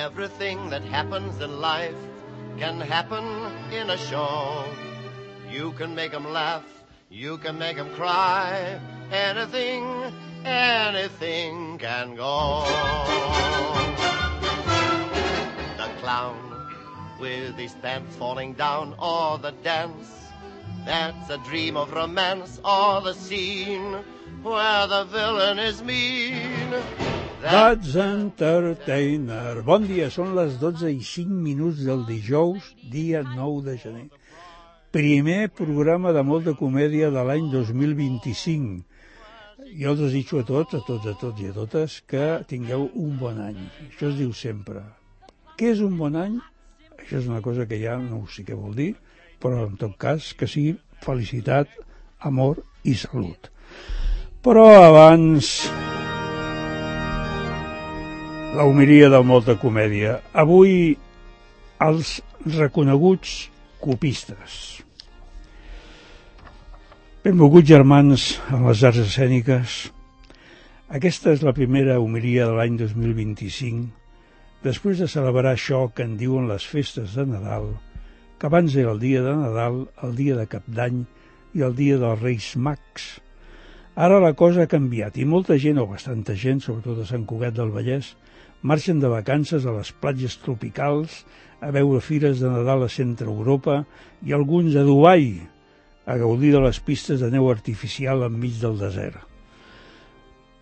Everything that happens in life can happen in a show. You can make 'em laugh, you can make 'em cry. Anything can go. The clown with his pants falling down, or the dance that's a dream of romance, or the scene where the villain is mean. That's Entertainer. Bon dia, són les 12:05 del dijous, dia 9 de gener. Primer programa de molta comèdia de l'any 2025. Jo els desitjo a tots i a totes que tingueu un bon any. Això es diu sempre. Què és un bon any? Això és una cosa que ja no sé què vol dir, però en tot cas que sigui felicitat, amor i salut. Però abans, la homilia de molta comèdia. Avui, els reconeguts copistes. Benvolguts germans en les arts escèniques. Aquesta és la primera homilia de l'any 2025, després de celebrar això que en diuen les festes de Nadal, que abans era el dia de Nadal, el dia de Cap d'Any i el dia dels Reis Mags. Ara la cosa ha canviat i molta gent, o bastanta gent, sobretot a Sant Cugat del Vallès, marxen de vacances a les platges tropicals, a veure fires de Nadal a Centre Europa i alguns a Dubai, a gaudir de les pistes de neu artificial enmig del desert.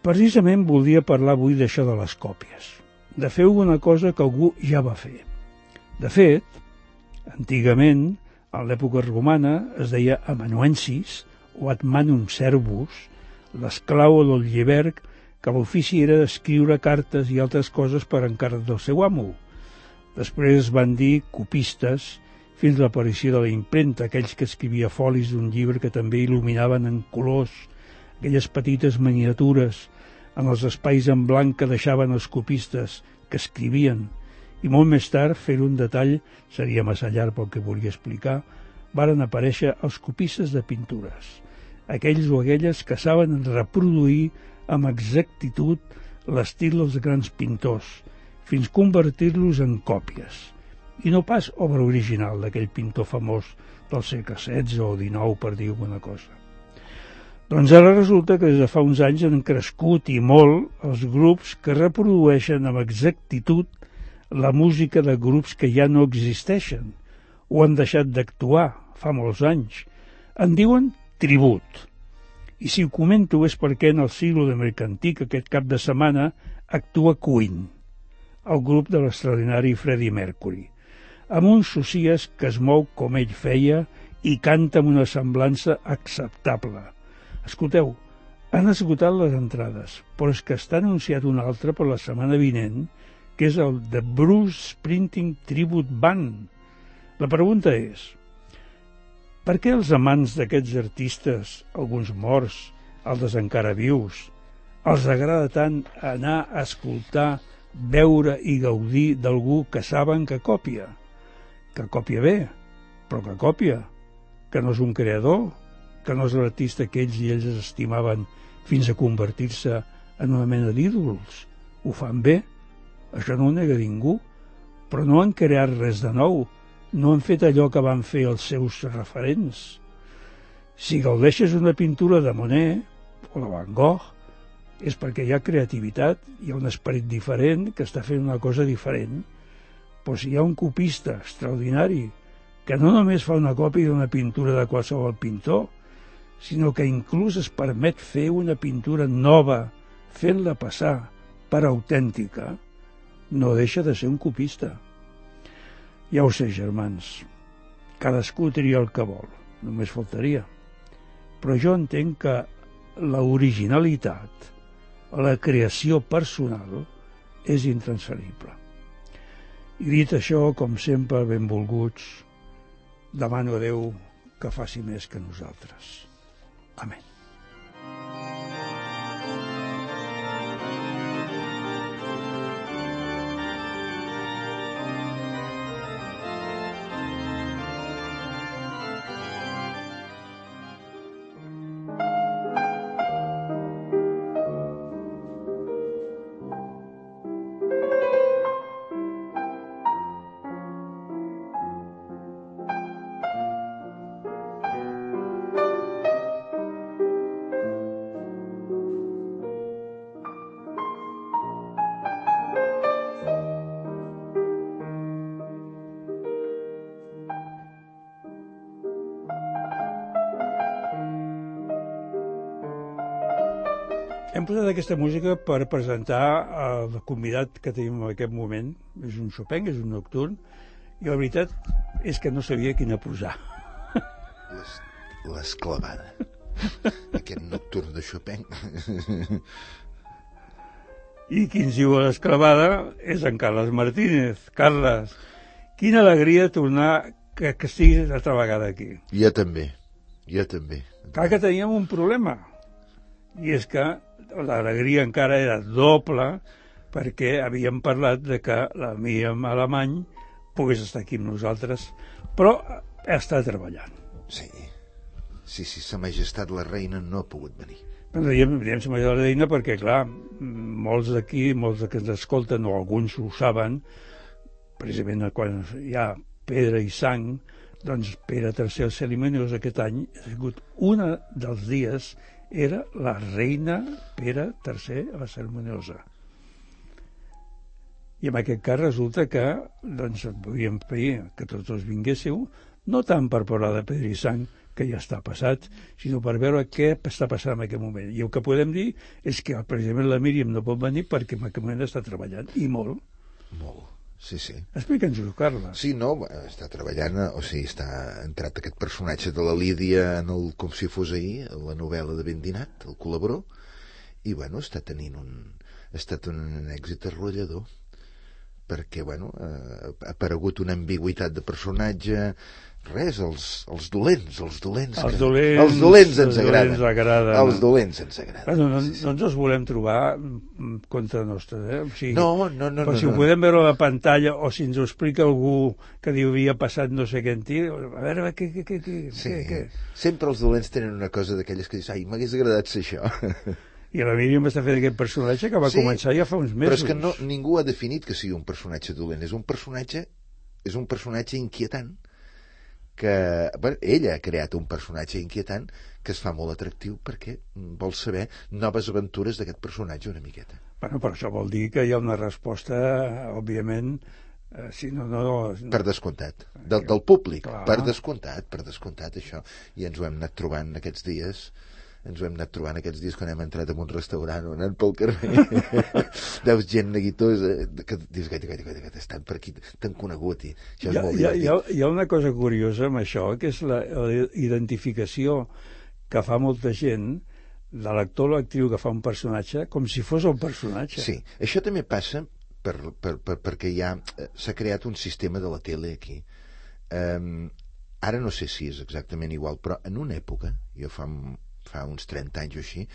Precisament voldria parlar avui d'això de les còpies, de fer una cosa que algú ja va fer. De fet, antigament, en l'època romana, es deia amanuensis o ad manum servus, l'esclau del llibert, que l'ofici era d'escriure cartes i altres coses per encàrrec del seu amo. Després es van dir copistes, fins a l'aparició de la impremta, aquells que escrivia folis d'un llibre que també il·luminaven en colors, aquelles petites miniatures en els espais en blanc que deixaven els copistes que escrivien, i molt més tard, fer un detall, seria massa llarg pel que volia explicar, varen aparèixer els copistes de pintures, aquells o aquelles que saben reproduir amb exactitud l'estil dels grans pintors, fins convertir-los en còpies, i no pas obra original d'aquell pintor famós del segle XVI o XIX, per dir alguna cosa. Doncs ara resulta que des de fa uns anys han crescut i molt els grups que reprodueixen amb exactitud la música de grups que ja no existeixen o han deixat d'actuar fa molts anys. En diuen tribut. I si ho comento és perquè en el siglo de Mercantic aquest cap de setmana actua Queen, el grup de l'extraordinari Freddie Mercury, amb un Socias que es mou com ell feia i canta amb una semblança acceptable. Escolteu, han esgotat les entrades, però és que està anunciat un altre per la setmana vinent, que és el The Bruce Springsteen Tribute Band. La pregunta és, per què els amants d'aquests artistes, alguns morts, altres encara vius, els agrada tant anar a escoltar, veure i gaudir d'algú que saben que copia? Que copia bé, però que copia, que no és un creador, que no és l'artista que ells i ells estimaven fins a convertir-se en una mena d'ídols. Ho fan bé, això no ho nega ningú, però no han creat res de nou, no han fet allò que van fer els seus referents. Si gaudeixes una pintura de Monet o de Van Gogh, és perquè hi ha creativitat, hi ha un esperit diferent que està fent una cosa diferent. Però si hi ha un copista extraordinari que no només fa una còpia d'una pintura de qualsevol pintor, sinó que inclús es permet fer una pintura nova, fent-la passar per autèntica, no deixa de ser un copista. Ja ho sé, germans, cadascú tria el que vol, només faltaria. Però jo entenc que l'originalitat, la creació personal, és intransferible. I dit això, com sempre, benvolguts, demano a Déu que faci més que nosaltres. Amén. Hem posat aquesta música per presentar el convidat que tenim en aquest moment. És un Chopin, és un nocturn, i la veritat és que no sabia quina posar. L'esclavada. Aquest nocturn de Chopin. I qui ens diu l'esclavada és en Carles Martínez. Carles, quina alegria tornar que estiguis altra vegada aquí. Jo també. Clar que teníem un problema, i és que l'alegria encara era doble perquè havíem parlat de que la Míriam Alemany pogués estar aquí amb nosaltres, però està treballant. Sí, Sa Majestat la Reina no ha pogut venir. Diem Sa Majestat la Reina perquè, clar, molts d'aquí, molts que ens escolten, o alguns ho saben, precisament quan hi ha pedra i sang, doncs Pere III el Cerimoniós aquest any ha sigut un dels dies era la reina Pere III la Ceremoniosa. I en aquest cas resulta que doncs volíem pedir que tots els vinguéssiu, no tant per parlar de pedra i sang, que ja està passat, sinó per veure què està passant en aquest moment. I el que podem dir és que precisament la Míriam no pot venir perquè en aquest moment està treballant, i molt. Molt. Sí. Explica'ns-ho, Carles. Sí, no, està treballant, o sigui, està entrat aquest personatge de la Lídia en el Com si fos ahir, la novel·la de Bendinat, el col·laborador, i, bueno, està tenint ha estat un èxit arrollador, perquè, bueno, ha aparegut una ambigüitat de personatge. Res, els dolents ens agraden. Els dolents ens agraden. No ens els volem trobar contra nostra, O sigui, no. Però si ho podem veure a la pantalla, o si ens ho explica algú que diu havia passat no sé què en ti, a veure què. Sempre els dolents tenen una cosa d'aquelles que dius, ai, m'hagués agradat ser això. I la Míriam està fent aquest personatge que va començar ja fa uns mesos. Però és que ningú ha definit que sigui un personatge dolent. És un personatge inquietant, que ella ha creat un personatge inquietant que es fa molt atractiu perquè vol saber noves aventures d'aquest personatge una miqueta. Bueno, però això vol dir que hi ha una resposta, òbviament, si no... Per descomptat, del públic. Clar. Per descomptat això, i ens ho hem anat trobant aquests dies quan hem entrat en un restaurant o anant pel carrer. Veus gent neguitosa que dius, gaita, estan per aquí, t'han conegut, i això és molt divertit. Hi ha una cosa curiosa amb això, que és la identificació que fa molta gent de l'actor o l'actriu que fa un personatge com si fos un personatge. Sí, això també passa perquè s'ha creat un sistema de la tele aquí. Ara no sé si és exactament igual, però en una època, jo fa uns 30 anys o així,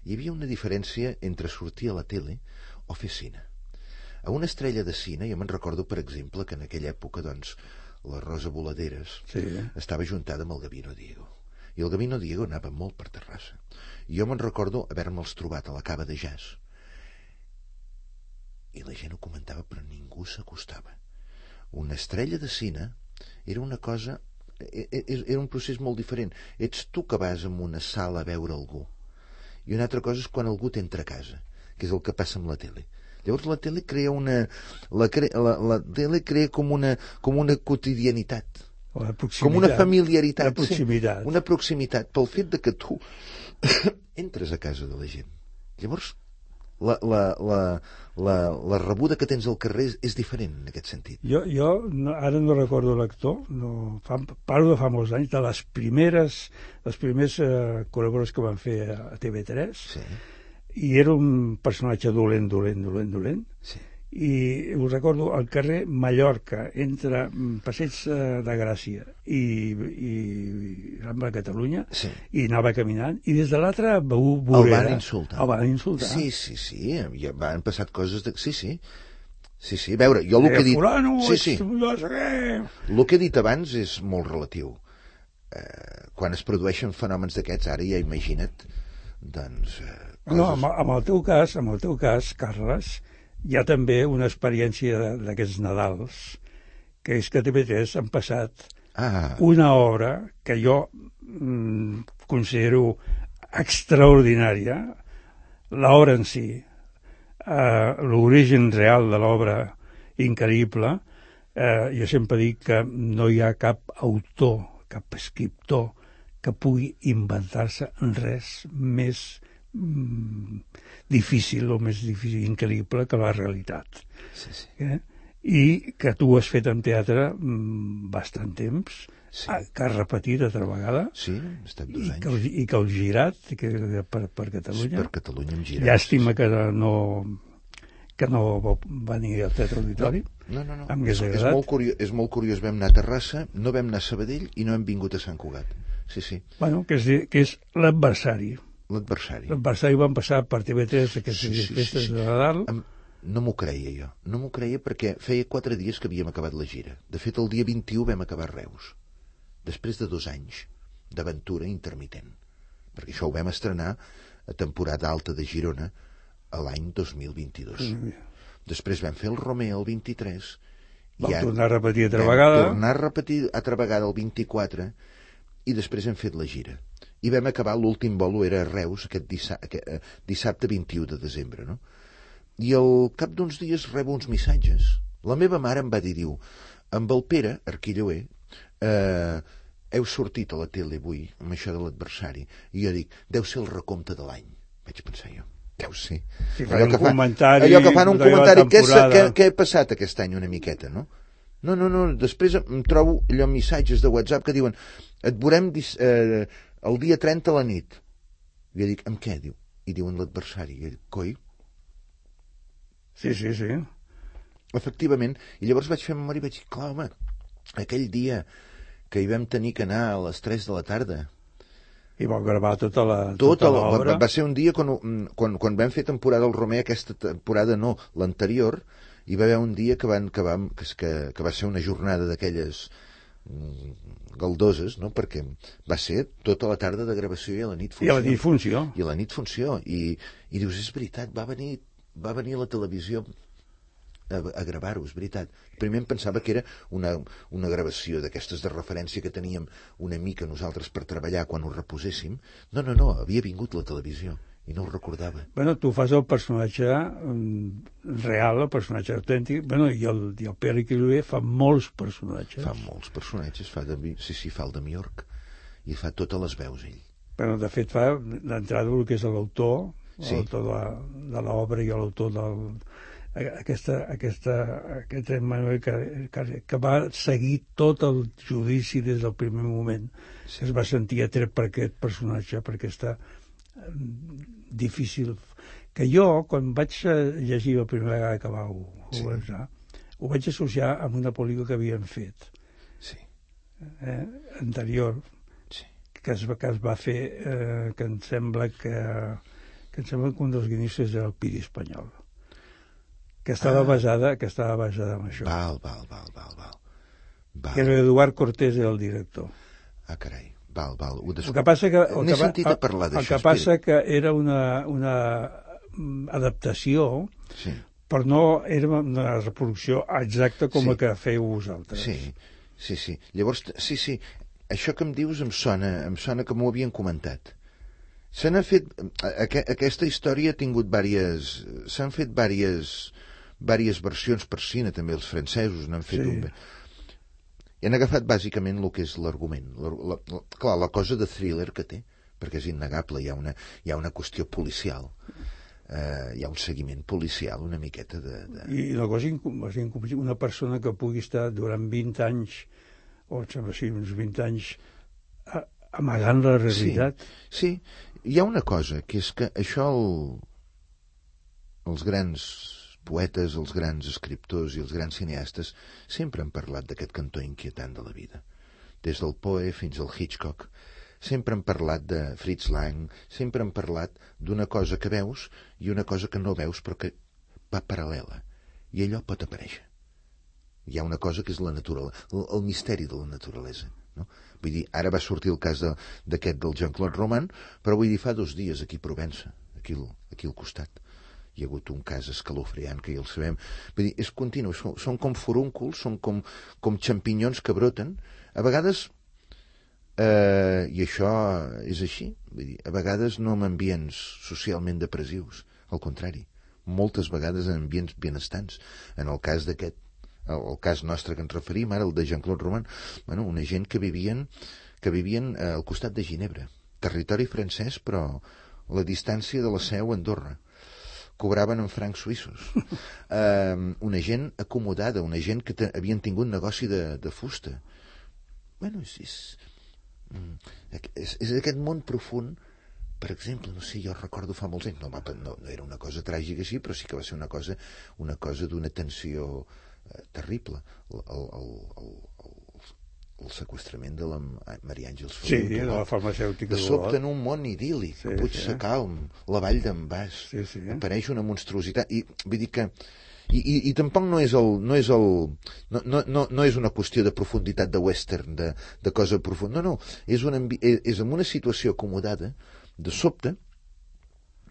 hi havia una diferència entre sortir a la tele o fer cine. A una estrella de cine, jo me'n recordo, per exemple, que en aquella època, doncs, la Rosa Voladeres estava ajuntada amb el Gabino Diego. I el Gabino Diego anava molt per Terrassa. I jo me'n recordo haver-me'ls trobat a la cava de jazz. I la gent ho comentava, però ningú s'acostava. Una estrella de cine era una cosa... Era un procés molt diferent. Ets tu que vas a una sala a veure algú, i una altra cosa és quan algú t'entra a casa, que és el que passa amb la tele. Llavors la tele crea la tele crea com una quotidianitat, com una familiaritat, una proximitat, pel fet de que tu entres a casa de la gent. Llavors la rebuda que tens al carrer és diferent en aquest sentit. Jo ara no recordo l'actor, parlo de fa molts anys, de les primers col·laboradors que van fer a TV3, i era un personatge dolent, i ho recordo al carrer Mallorca, entre Passeig de Gràcia i Rambla de Catalunya, i anava caminant, i des de l'altra vorera el van insultar. Sí, ja van passat coses de... Sí, a veure, jo el que he dit... El que he dit abans és molt relatiu. Quan es produeixen fenòmens d'aquests, ara ja imagina't, doncs... No, amb el teu cas, Carles, hi ha també una experiència d'aquests Nadals, que és que a TV3 han passat una obra que jo considero extraordinària, l'obra en si, l'origen real de l'obra increïble. Jo sempre dic que no hi ha cap autor, cap escriptor que pugui inventar-se res més difícil, o més difícil, increïble que la realitat. Sí, sí. I que tu has fet en teatre bastant temps, Sí. que has repetit altra vegada, Sí, he estat 2 anys. i que has girat per Catalunya. Per Catalunya hem girat. Llàstima que no va venir al Teatre Auditori. No. Em hagués És agradat. és molt curiós. Vam anar a Terrassa, no vam anar a Sabadell i no hem vingut a Sant Cugat. Sí. Bueno, que és l'adversari. L'adversari. L'adversari van passar per TV3 aquestes festes de Nadal. No m'ho creia jo. No m'ho creia perquè feia 4 dies que havíem acabat la gira. De fet, el dia 21 vam acabar a Reus. Després de 2 anys d'aventura intermitent. Perquè això ho vam estrenar a temporada alta de Girona a l'any 2022. Després vam fer el Romea el 23. Vam tornar a repetir altra vegada. Tornar a repetir altra vegada el 24 i després hem fet la gira. I vam acabar, l'últim bolo era a Reus aquest dissabte 21 de desembre, no? I al cap d'uns dies rebo uns missatges. La meva mare em va dir, diu, amb el Pere Arquillauer heu sortit a la tele avui amb això de l'adversari. I jo dic, deu ser el recompte de l'any. Vaig pensar jo, deu ser. Sí, allò que fan un de la comentari, temporada. què ha passat aquest any una miqueta, no? No, després em trobo allò missatges de WhatsApp que diuen, et veurem el dia 30 a la nit. I jo dic, amb què? Diu, i diuen l'adversari. I jo dic, coi? Sí. Efectivament. I llavors vaig fer memòria i vaig dir, clar, home, aquell dia que hi vam tenir que anar a les 3 de la tarda. I vau gravar tota l'obra. Va ser un dia quan vam fer temporada al Romea, aquesta temporada no, l'anterior, hi va haver un dia que va ser una jornada d'aquelles galdoses, no? Perquè va ser tota la tarda de gravació i a la nit funció. I a la nit funció. I dius, és veritat, va venir a la televisió a gravar-ho, és veritat. Primer em pensava que era una gravació d'aquestes de referència que teníem una mica nosaltres per treballar quan ho reposéssim. No, havia vingut la televisió i no ho recordava. Bueno, tu fas el personatge real, el personatge autèntic, i el Pere Arquillauer fa molts personatges. Fa molts personatges, fa el de Miorc i fa totes les veus ell. Bueno, de fet fa d'entrada el que és l'autor, l'autor de l'obra i l'autor aquest Emmanuel que va seguir tot el judici des del primer moment. Es va sentir atret per aquest personatge, per aquesta difícil... Que jo, quan vaig llegir la primera vegada que vau començar, ho vaig associar amb una pel·lícula que havien fet anterior, que es va fer, que em sembla que un dels guionistes era el Piri Espanyol, que estava basada en això. Val. Que era Eduard Cortés, era el director. Ah, carai, val. El que passa que... N'he sentit a parlar d'això. El que passa que era una adaptació, però no era una reproducció exacta com la que feu vosaltres. Sí. Llavors, això que em dius em sona que m'ho havien comentat. Se n'ha fet... Aquesta història ha tingut s'han fet diverses versions per cine, també els francesos n'han fet un... I han agafat bàsicament el que és l'argument. Clar, la cosa de thriller que té, perquè és innegable, hi ha una qüestió policial, hi ha un seguiment policial una miqueta de... I una cosa incomprensible, una persona que pugui estar durant 20 anys, o sembla sí, uns 20 anys, amagant la realitat. Sí, hi ha una cosa, que és que això els grans poetes, els grans escriptors i els grans cineastes sempre han parlat d'aquest cantó inquietant de la vida. Des del Poe fins al Hitchcock. Sempre han parlat de Fritz Lang, sempre han parlat d'una cosa que veus i una cosa que no veus però que va paral·lela. I allò pot aparèixer. Hi ha una cosa que és el misteri de la naturalesa. No? Vull dir, ara va sortir el cas d'aquest del Jean-Claude Roman, però vull dir, fa 2 dies aquí a Provença, aquí al costat. Hi ha hagut un cas escalofriant que ja el sabem. Vull dir, és continu, són com furúnculs, són com xampinyons que broten. A vegades, i això és així, vull dir, a vegades no en ambients socialment depressius, al contrari, moltes vegades en ambients benestants. En el cas d'aquest, el cas nostre que ens referim ara, el de Jean-Claude Roman, una gent que vivien al costat de Ginebra, territori francès, però la distància de la Seu a Andorra. Cobraven en francs suïssos. Una gent acomodada, una gent que havien tingut negoci de fusta. Bueno, és aquest món profund. Per exemple, no sé, jo recordo fa molts anys, no era una cosa tràgica així, però sí que va ser una cosa d'una tensió terrible. El seqüestrament de la Maria Àngels Feliu. Sí, de la farmacèutica. De sobte en un món idíl·lic, Puig Sacalm, la Vall d'en Bas, apareix una monstruositat. I vull dir que i tampoc no és una qüestió de profunditat de western, de cosa profunda. No, és en una situació acomodada. De sobte,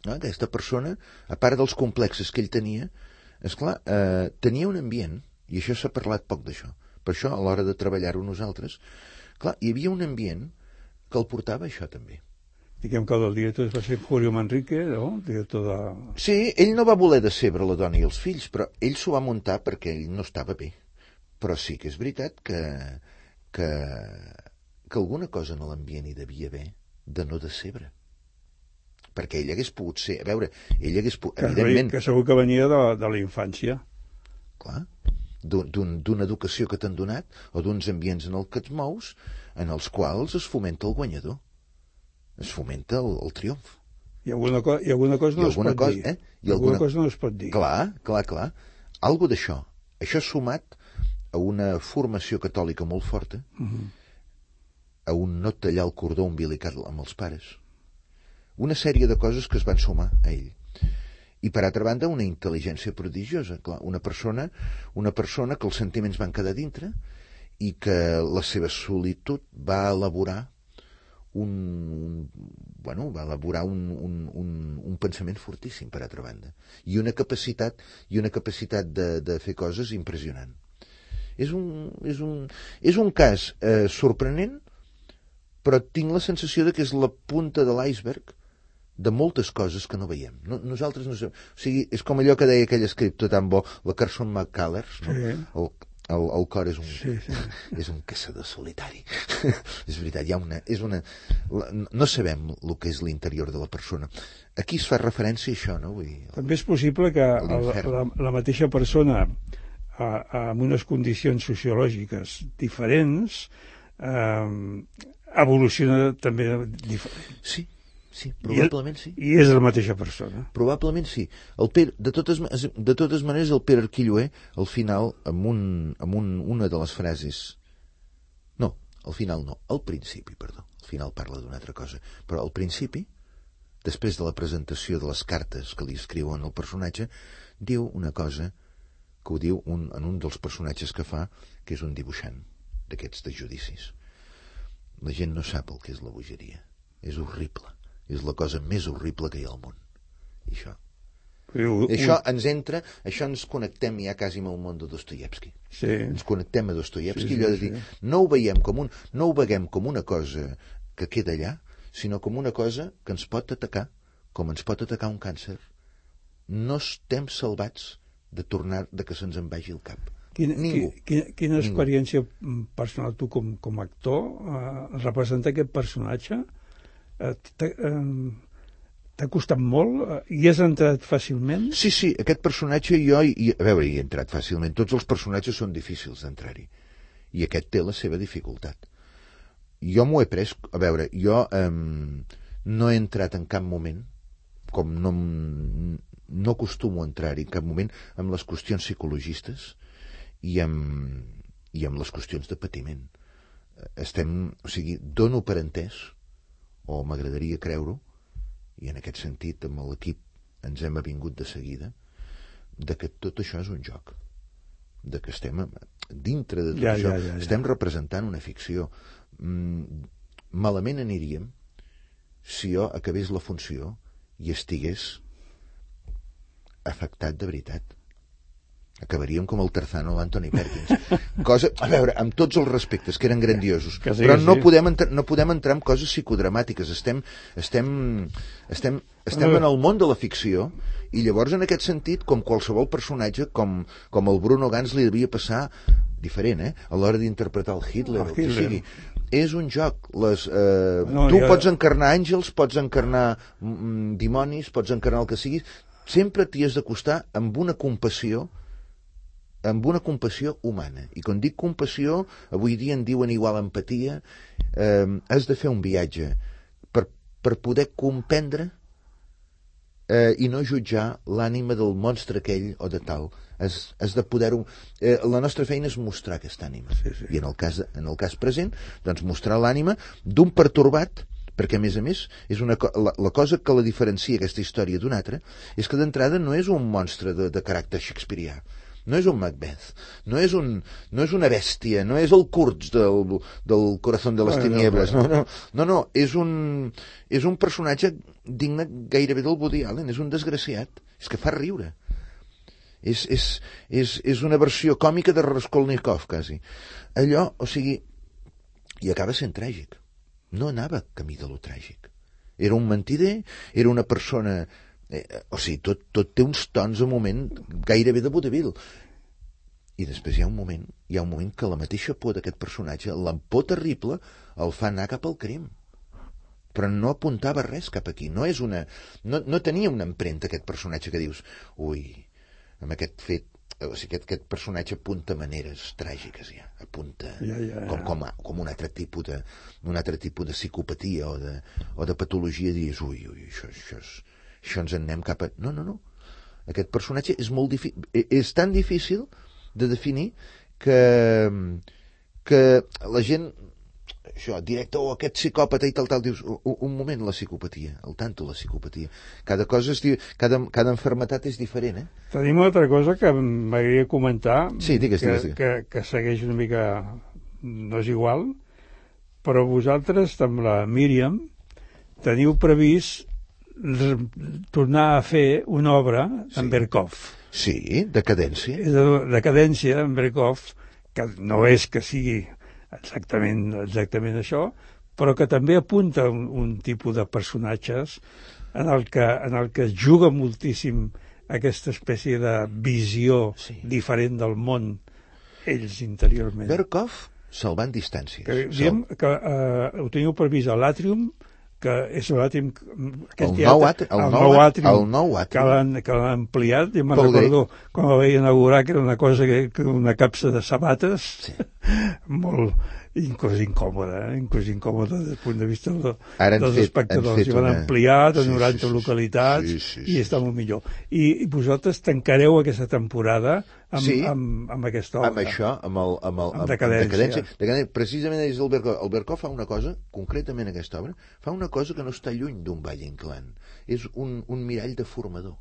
aquesta persona, a part dels complexes que ell tenia, esclar, tenia un ambient, i això s'ha parlat poc d'això. Per això, a l'hora de treballar-ho nosaltres, clar, hi havia un ambient que el portava això també. Diguem que el director va ser Julio Manrique, no? Director de... Sí, ell no va voler decebre la dona i els fills, però ell s'ho va muntar perquè ell no estava bé. Però sí que és veritat que alguna cosa en l'ambient hi devia haver de no decebre. Perquè ell hagués pogut ser... A veure, ell hagués pogut... Evidentment... Que segur que venia de la infància. Clar, d'una educació que t'han donat, o d'uns ambients en els que et mous, en els quals es fomenta el guanyador. Es fomenta el triomf. I alguna cosa no es pot dir. Alguna cosa no es pot dir. Clar. Algo d'això. Això sumat a una formació catòlica molt forta, a un no tallar el cordó umbilical amb els pares. Una sèrie de coses que es van sumar a ell. I per altra banda una intel·ligència prodigiosa. Clar, una persona que els sentiments van quedar dintre i que la seva solitud va elaborar un pensament fortíssim, per altra banda, i una capacitat de fer coses impressionant. És un cas sorprenent, però tinc la sensació de que és la punta de l'iceberg de moltes coses que no veiem. Nosaltres no sabem. O sigui, és com allò que deia aquell escriptor tan bo, la Carson McCullers, no? Sí. El cor és un caçador solitari. És veritat, no sabem el que és l'interior de la persona. Aquí es fa referència a això, no? Vull dir, també és possible que la mateixa persona amb unes condicions sociològiques diferents evoluciona també diferent. Sí, probablement sí. I és la mateixa persona. Probablement sí. De totes maneres, el Pere Arquilloé, al final, amb una de les frases... No, al final no, al principi, perdó. Al final parla d'una altra cosa. Però al principi, després de la presentació de les cartes que li escriuen al personatge, diu una cosa que ho diu en un dels personatges que fa, que és un dibuixant d'aquests de judicis. La gent no sap el que és la bogeria. És horrible. És la cosa més horrible que hi ha al món. I això ens connectem ja quasi amb el món de Dostoievski. Sí. Ens connectem a Dostoievski, allò de dir, no ho veiem com una cosa que queda allà, sinó com una cosa que ens pot atacar, com ens pot atacar un càncer. No estem salvats de que se'ns en vagi el cap. Quina experiència personal tu com actor representar aquest personatge? T'ha costat molt? Hi has entrat fàcilment? Sí, aquest personatge hi he entrat fàcilment. Tots els personatges són difícils d'entrar-hi. I aquest té la seva dificultat. Jo m'ho he pres... A veure, jo no he entrat en cap moment, com no acostumo a entrar-hi en cap moment, amb les qüestions psicologistes i amb les qüestions de patiment. Dono per entès, o m'agradaria creure-ho, i en aquest sentit amb l'equip ens hem avingut de seguida, de que tot això és un joc, de que estem dintre de tot això. Estem representant una ficció. Malament aniríem si jo acabés la funció i estigués afectat de veritat. Acabaríem com el Tarzano o l'Anthony Perkins. A veure, amb tots els respectes, que eren grandiosos, però no podem entrar en coses psicodramàtiques. Estem en el món de la ficció, i llavors en aquest sentit, com qualsevol personatge, com el Bruno Gans li devia passar diferent, a l'hora d'interpretar el Hitler, o el que sigui. és un joc. No, Tu pots encarnar àngels, pots encarnar dimonis, pots encarnar el que siguis, sempre t'hi has d'acostar amb una compassió humana. I quan dic compassió, avui dia en diuen igual empatia, has de fer un viatge per poder comprendre i no jutjar l'ànima del monstre aquell o de tal. Has de poder-ho... la nostra feina és mostrar aquesta ànima. Sí, sí. I en el cas present, doncs mostrar l'ànima d'un pertorbat, perquè a més és la cosa que la diferencia aquesta història d'una altra és que d'entrada no és un monstre de caràcter shakespearià, no és un Macbeth, no és una bèstia, no és el Kurtz del Corazón de les Tinieblas, no, és un personatge digne gairebé del Woody Allen, és un desgraciat, és que fa riure. És una versió còmica de Raskolnikov, quasi. Allò, o sigui, i acaba sent tràgic. No anava camí de lo tràgic. Era un mentider, era una persona... o sigui, tot té uns tons a moment gairebé de vodevil. I després hi ha un moment que la mateixa por d'aquest personatge, la por terrible, el fa anar cap al crim. Però no apuntava res cap aquí. No tenia una empremta, aquest personatge, que dius, ui, amb aquest fet, o sigui, aquest personatge apunta maneres tràgiques, ja. Apunta com un altre tipus de psicopatia o de patologia, dius, ui, això ens en anem cap a... No. Aquest personatge és molt difícil, és tan difícil de definir que la gent, això, directe, aquest psicòpata i tal, dius, un moment, la psicopatia, al tanto la psicopatia. Cada cosa cada enfermetat és diferent, Tenim una altra cosa que m'agradaria comentar, sí, digues. Que segueix una mica, no és igual, però vosaltres, amb la Míriam, teniu previst tornar a fer una obra en Berkov. Sí, decadència. Decadència en Berkov, que no és que sigui exactament això, però que també apunta un tipus de personatges en el que es juga moltíssim aquesta espècie de visió diferent del món, ells interiorment. Berkov se'l va en distàncies. Diem que ho teniu previst a l'Àtrium, que és l'àtrium, el nou àtrium que l'han ampliat, i me'n recordo quan la vaig inaugurar, que era una cosa una capsa de sabates, molt incòmoda des del punt de vista dels espectadors. I van ampliar de 90 localitats i està molt millor. I vosaltres tancareu aquesta temporada amb aquesta obra. Amb això, amb decadència. Precisament és el Berkov. El Berkov fa una cosa, concretament aquesta obra, fa una cosa que no està lluny d'un Valle Inclán. És un mirall deformador.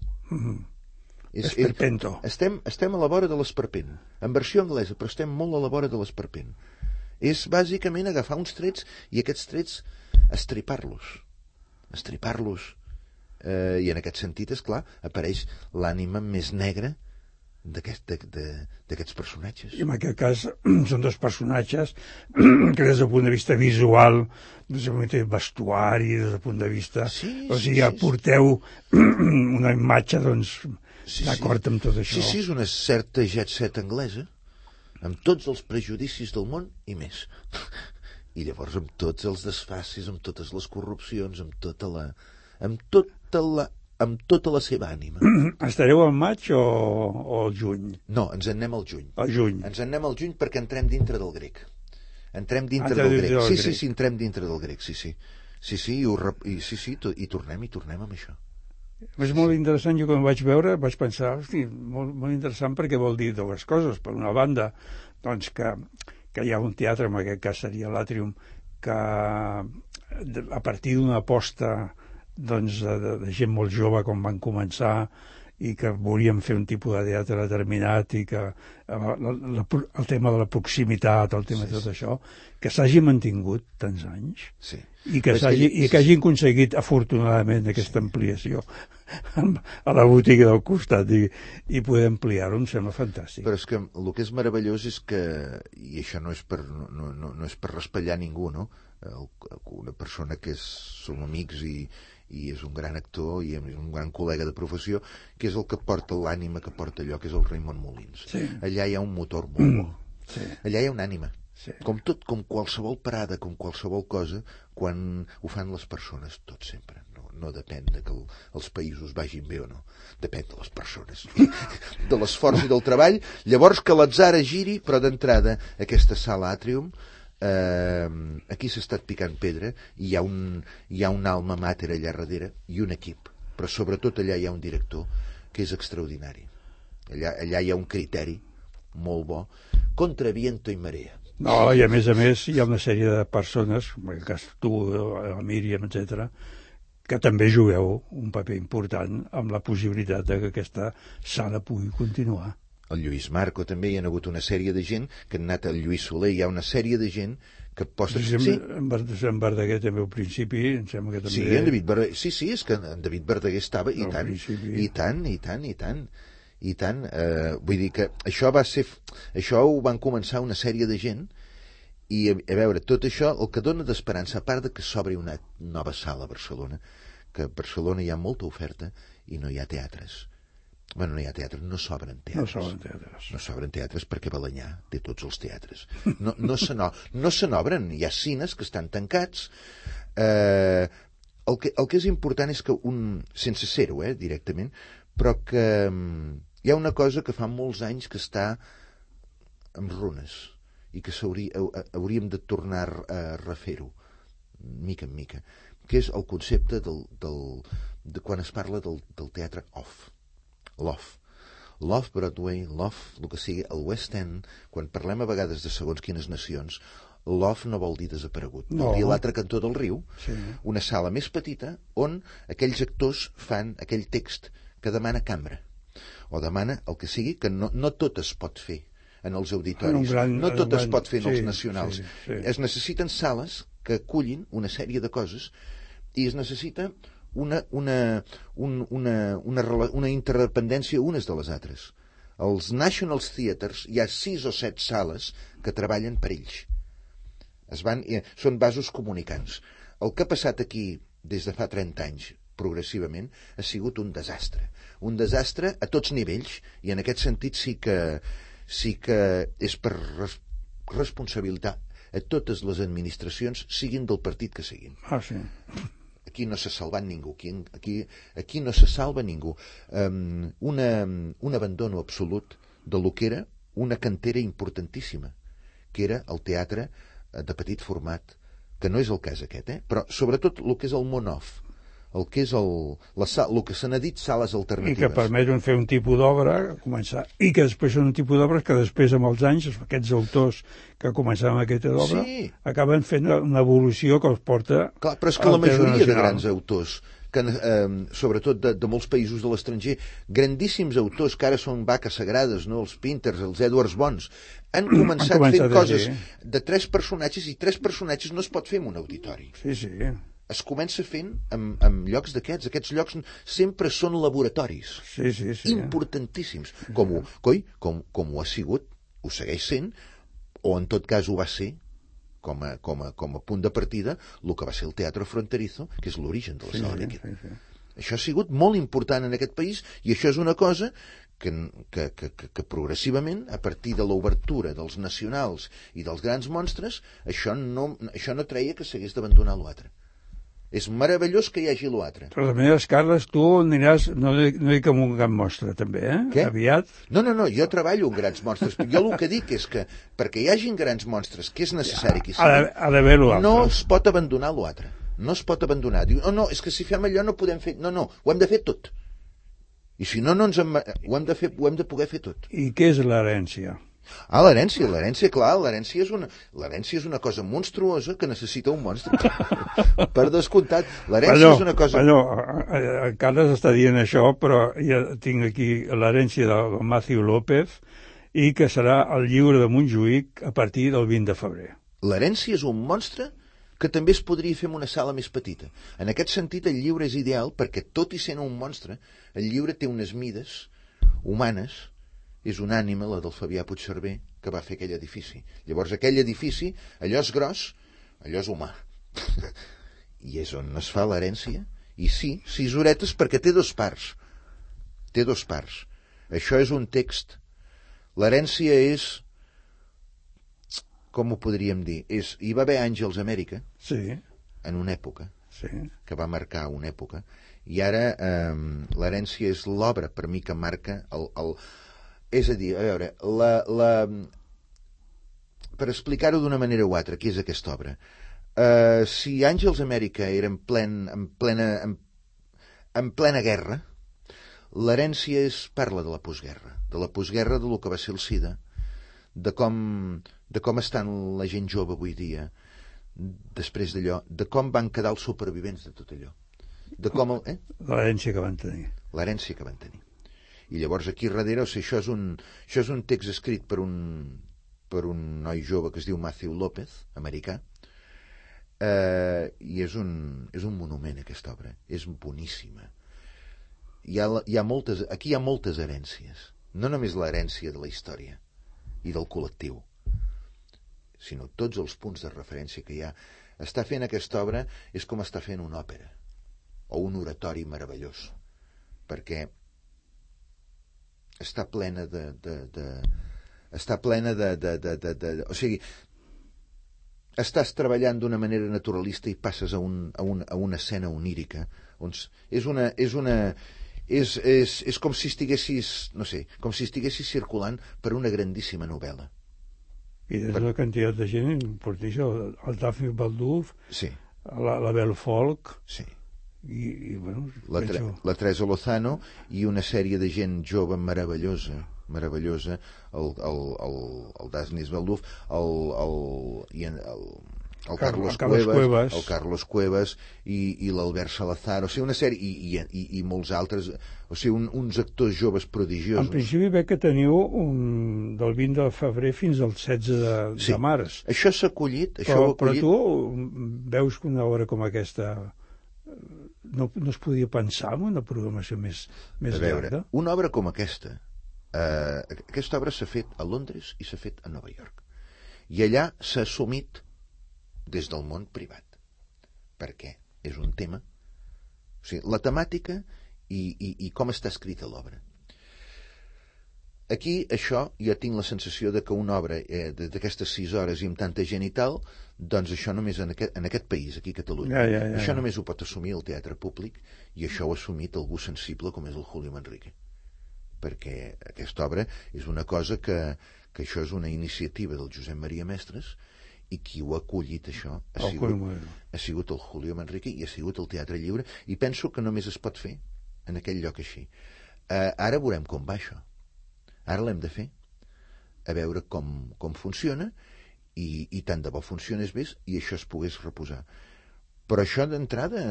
Esperpento. Estem a la vora de l'esperpent. En versió anglesa, però estem molt a la vora de l'esperpent. És bàsicament agafar uns trets i aquests trets estripar-los. I en aquest sentit, és clar, apareix l'ànima més negra d'aquests personatges. I en aquest cas són dos personatges que des del punt de vista visual, des del punt de vista vestuari, des del punt de vista... aporteu una imatge, d'acord amb tot això. Sí, és una certa jet set anglesa, amb tots els prejudicis del món i més. I llavors amb tots els desfacis, amb totes les corrupcions, amb tota la seva ànima. Estareu al maig o al juny? No, ens en anem al juny. Ens en anem al juny perquè entrem dintre del grec. Sí, entrem dintre del grec, sí. I tornem amb això. És molt interessant. Jo quan ho vaig veure vaig pensar, hosti, molt interessant, perquè vol dir dues coses. Per una banda, doncs que hi ha un teatre, en aquest cas seria l'Àtrium, que a partir d'una aposta doncs, de gent molt jove com van començar i que volíem fer un tipus de teatre determinat i que el tema de la proximitat, el tema de tot això, que s'hagi mantingut tants anys i que hagin aconseguit afortunadament aquesta ampliació a la botiga del costat i poder ampliar-ho, em sembla fantàstic. Però és que el que és meravellós és que, i això no és per raspallar ningú, no? Una persona que som amics i és un gran actor i és un gran col·lega de professió, que és el que porta l'ànima que porta allò, que és el Raimon Molins. Allà hi ha un motor molt bo. Allà hi ha una ànima. Sí. Com tot, com qualsevol parada, com qualsevol cosa, quan ho fan les persones, tot sempre. No depèn de que els països vagin bé o no. Depèn de les persones. De l'esforç i del treball. Llavors que l'atzar giri, però d'entrada, aquesta sala Atrium, aquí s'ha estat picant pedra, i hi ha un alma mater allà darrere, i un equip. Però sobretot allà hi ha un director que és extraordinari. Allà hi ha un criteri molt bo, contra viento i marea. No, i a més, hi ha una sèrie de persones, com el cas tu, la Míriam, etc., que també jugueu un paper important amb la possibilitat de que aquesta sala pugui continuar. El Lluís Marco també, hi ha hagut una sèrie de gent que han anat al Lluís Soler, hi ha una sèrie de gent que posa... Sí. En Verdaguer també al principi, em sembla que també... Sí, en David Verdaguer, sí, és que en David Verdaguer estava, i tant, i tant. Vull dir que això ho van començar una sèrie de gent, i a veure, tot això, el que dona d'esperança, a part de que s'obri una nova sala a Barcelona, que a Barcelona hi ha molta oferta i no hi ha teatres. Bueno, no hi ha teatres, no s'obren teatres. No s'obren teatres perquè Balenyà té tots els teatres. No se n'obren, hi ha cines que estan tancats. El que és important és que sense ser-ho, directament, però que hi ha una cosa que fa molts anys que està en runes i que hauríem de tornar a refer-ho mica en mica, que és el concepte de quan es parla del teatre Love Broadway, Love, el que sigui, el West End, quan parlem a vegades de segons quines nacions, Love no vol dir desaparegut, vol dir a l'altre cantó del riu, una sala més petita on aquells actors fan aquell text que demana cambra, o demana el que sigui, que no tot es pot fer en els auditoris, no tot es pot fer en els nacionals. Es necessiten sales que acullin una sèrie de coses i es necessita una interdependència unes de les altres. Als National Theatres hi ha 6 o 7 sales que treballen per ells. Són vasos comunicants. El que ha passat aquí des de fa 30 anys progressivament ha sigut un desastre a tots nivells, i en aquest sentit sí que és per responsabilitat a totes les administracions, siguin del partit que siguin. Sí. Aquí no s'ha salvat ningú, aquí no se salva ningú. Un abandono absolut de lo que era una cantera importantíssima, que era el teatre de petit format, que no és el cas aquest, però sobretot el que és el món-off, el que és el que se n'ha dit sales alternatives. I que permeten fer un tipus d'obra, començar, i que després són un tipus d'obres que després, amb els anys, aquests autors que començaven aquesta obra, acaben fent una evolució que els porta... Clar, però és que la majoria de grans autors, sobretot de molts països de l'estranger, grandíssims autors que ara són vaques sagrades, no? Els Pinters, els Edwards Bons, han començat fent coses de 3 personatges, i 3 personatges no es pot fer en un auditori. Sí. Es comença fent en llocs d'aquests. Aquests llocs sempre són laboratoris. Sí. Importantíssims. Com ho ha sigut, ho segueix sent, o en tot cas ho va ser, com a punt de partida, el que va ser el Teatre Fronterizo, que és l'origen de la sala. Això ha sigut molt important en aquest país, i això és una cosa que progressivament, a partir de l'obertura dels nacionals i dels grans monstres, això no treia que s'hagués d'abandonar l'altre. És meravellós que hi hagi l'altre. Però de maneres, Carles, tu aniràs, no dic amb un gran monstre, també, Què? Aviat? No, jo treballo amb grans monstres. Jo el que dic és que, perquè hi hagin grans monstres, que és necessari que hi sigui, ha d'haver l'altre. No es pot abandonar l'altre. No es pot abandonar. Diu, no, és que si fem allò no podem fer... No, ho hem de fer tot. I si no, ho hem de poder fer tot. I què és l'herència? L'herència, clar, l'herència és una cosa monstruosa que necessita un monstre. Per descomptat, l'herència és una cosa... Carles està dient això, però ja tinc aquí l'herència de Matthew López, i que serà el llibre de Montjuïc a partir del 20 de febrer. L'herència és un monstre que també es podria fer en una sala més petita. En aquest sentit, el llibre és ideal perquè, tot i sent un monstre, el llibre té unes mides humanes. És una ànima, la del Fabià Puigcerver, que va fer aquell edifici. Llavors, aquell edifici, allò és gros, allò és humà. I és on es fa l'herència. I sí, 6 horetes, perquè té 2 parts. Té 2 parts. Això és un text. L'herència és com ho podríem dir? Hi va haver Àngels Amèrica, Sí, en una època, sí. que va marcar una època, i ara l'herència és l'obra, per mi, que marca és a dir, a veure, per explicar-ho d'una manera o altra, què és aquesta obra? Si Àngels Amèrica era en plena guerra, l'herència parla de la postguerra de lo que va ser el SIDA, de com estan la gent jove avui dia, després d'allò, de com van quedar els supervivents de tot allò, de com L'herència que van tenir. l'herència que van tenir. I llavors aquí darrere, o sigui, això és un text escrit per un noi jove que es diu Matthew López, americà, i és un monument, aquesta obra. És boníssima. Aquí hi ha moltes herències, no només l'herència de la història i del col·lectiu, sinó tots els punts de referència que hi ha. Està fent aquesta obra és com està fent una òpera o un oratori meravellós, perquè està plena o sigui, estàs treballant d'una manera naturalista i passes a una escena onírica, on és com si estiguessis, no sé, com si estiguessis circulant per una grandíssima novel·la. I des una quantitat de gent importantíssima, el Daphne Balduf, Sí, la Belle Folk, sí. i bueno, La Teresa Lozano i una sèrie de gent jove meravellosa, el Daphne Balduf, el Carlos Cuevas, el Carlos Cuevas i l'Albert Salazar, o sigui, una sèrie i molts altres, o sigui, uns actors joves prodigiosos. En principi veig que teniu del 20 de febrer fins al 16 de març. Això s'ha acollit, Però tu veus que una obra com aquesta no es podia pensar en una programació més llarga? Una obra com aquesta obra s'ha fet a Londres i s'ha fet a Nova York, i allà s'ha assumit des del món privat, perquè és un tema, o sigui, la temàtica i com està escrita l'obra. Aquí, això, jo tinc la sensació de que una obra d'aquestes 6 hores i amb tanta gent i tal, doncs això només en aquest país, aquí a Catalunya, això només ho pot assumir el teatre públic, i això ho ha assumit algú sensible com és el Julio Manrique, perquè aquesta obra és una cosa que això és una iniciativa del Josep Maria Mestres, i qui ho ha acollit, això, ha sigut el Julio Manrique i ha sigut el Teatre Lliure, i penso que només es pot fer en aquell lloc així. Ara veurem com va això. Ara l'hem de fer, a veure com funciona, i tant de bo funcionés bé i això es pogués reposar. Però això d'entrada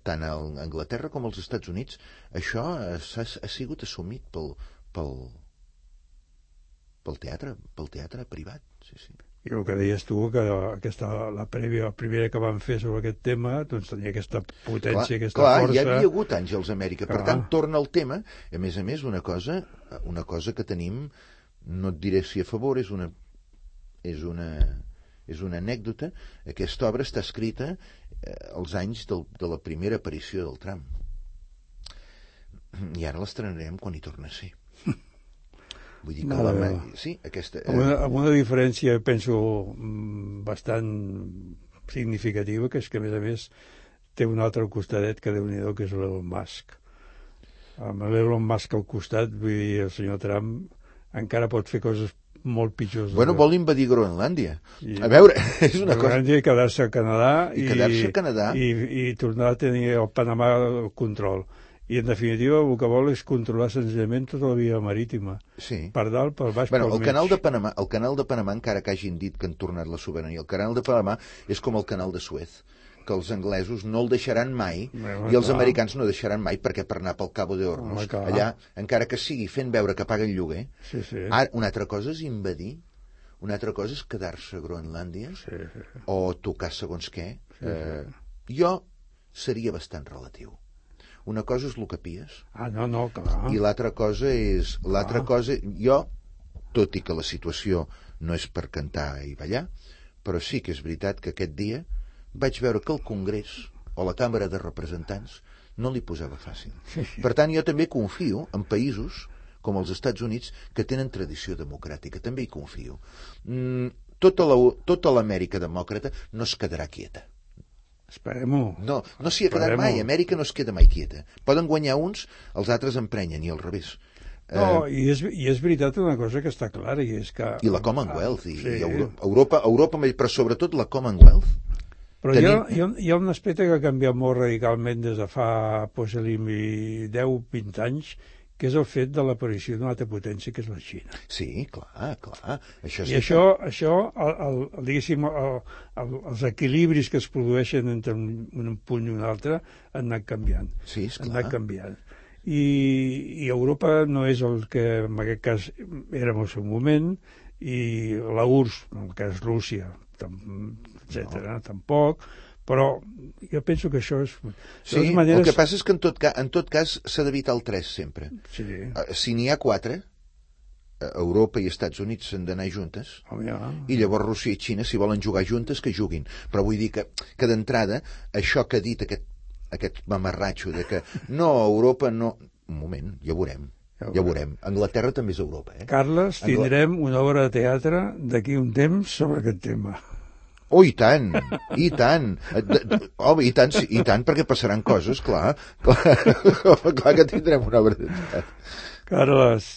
tant a Anglaterra com als Estats Units, això ha sigut assumit pel teatre privat. Sí. I el que deies tu, que la primera que van fer sobre aquest tema, doncs tenia aquesta potència, aquesta força. Ja havia hagut Àngels Amèrica, per tant torna al tema, a més, una cosa que tenim, no et diré si a favor, és una anècdota. Aquesta obra està escrita als anys de la primera aparició del tram, i ara l'estrenarem quan hi torna a ser. Vull dir que sí, aquesta... Amb una diferència, penso, bastant significativa, que és que, a més, té un altre costadet que Déu-n'hi-do, que és l'Elon Musk. Amb l'Elon Musk al costat, vull dir, el senyor Trump encara pot fer coses molt pitjors. Bueno, vol invadir Groenlàndia. A veure, és una cosa... Groenlàndia i quedar-se a Canadà. I tornar a tenir el Panamà al control. I, en definitiva, el que vol és controlar senzillament tota la via marítima. Sí. Per dalt, per baix, per mig. El canal de Panamà, encara que hagin dit que han tornat la sobirania, el canal de Panamà és com el canal de Suez, que els anglesos no el deixaran mai, i els americans no deixaran mai, perquè per anar pel Cabo de Hornos, allà, encara que sigui fent veure que paguen lloguer, ara, una altra cosa és invadir, una altra cosa és quedar-se a Groenlàndia, o tocar segons què. Jo seria bastant relatiu. Una cosa és el que pies. No, clar. I l'altra cosa és... Jo, tot i que la situació no és per cantar i ballar, però sí que és veritat que aquest dia vaig veure que el Congrés o la Càmera de Representants no li posava fàcil. Per tant, jo també confio en països com els Estats Units, que tenen tradició democràtica. També hi confio. Tota l'Amèrica demòcrata no es quedarà quieta. Esperem-ho. No s'hi ha quedat mai. Amèrica no es queda mai quieta. Poden guanyar uns, els altres emprenen, i al revés. No, i és veritat una cosa que està clara, i és que... I la Commonwealth, i Europa, però sobretot la Commonwealth. Però hi ha un aspecte que ha canviat molt radicalment des de fa 10-20 anys, que és el fet de l'aparició d'una altra potència, que és la Xina. Sí, clar. I això diguéssim, els equilibris que es produeixen entre un punt i un altre han anat canviant. Sí, esclar. Han anat canviant. I Europa no és el que en aquest cas érem al seu moment, i la URSS, en el cas Rússia, etc., tampoc, però jo penso que això és... Sí, el que passa és que en tot cas s'ha d'evitar el 3 sempre. Sí. Si n'hi ha 4, Europa i Estats Units s'han d'anar juntes, i llavors Rússia i Xina, si volen jugar juntes, que juguin. Però vull dir que d'entrada, això que ha dit aquest mamarratxo de que no, Europa no... Un moment, ja ho veurem. Anglaterra també és Europa, eh? Carles, tindrem una obra de teatre d'aquí un temps sobre aquest tema. Oh, i tant, i tant. I tant, perquè passaran coses, clar que tindrem una obra de teatre. Carles,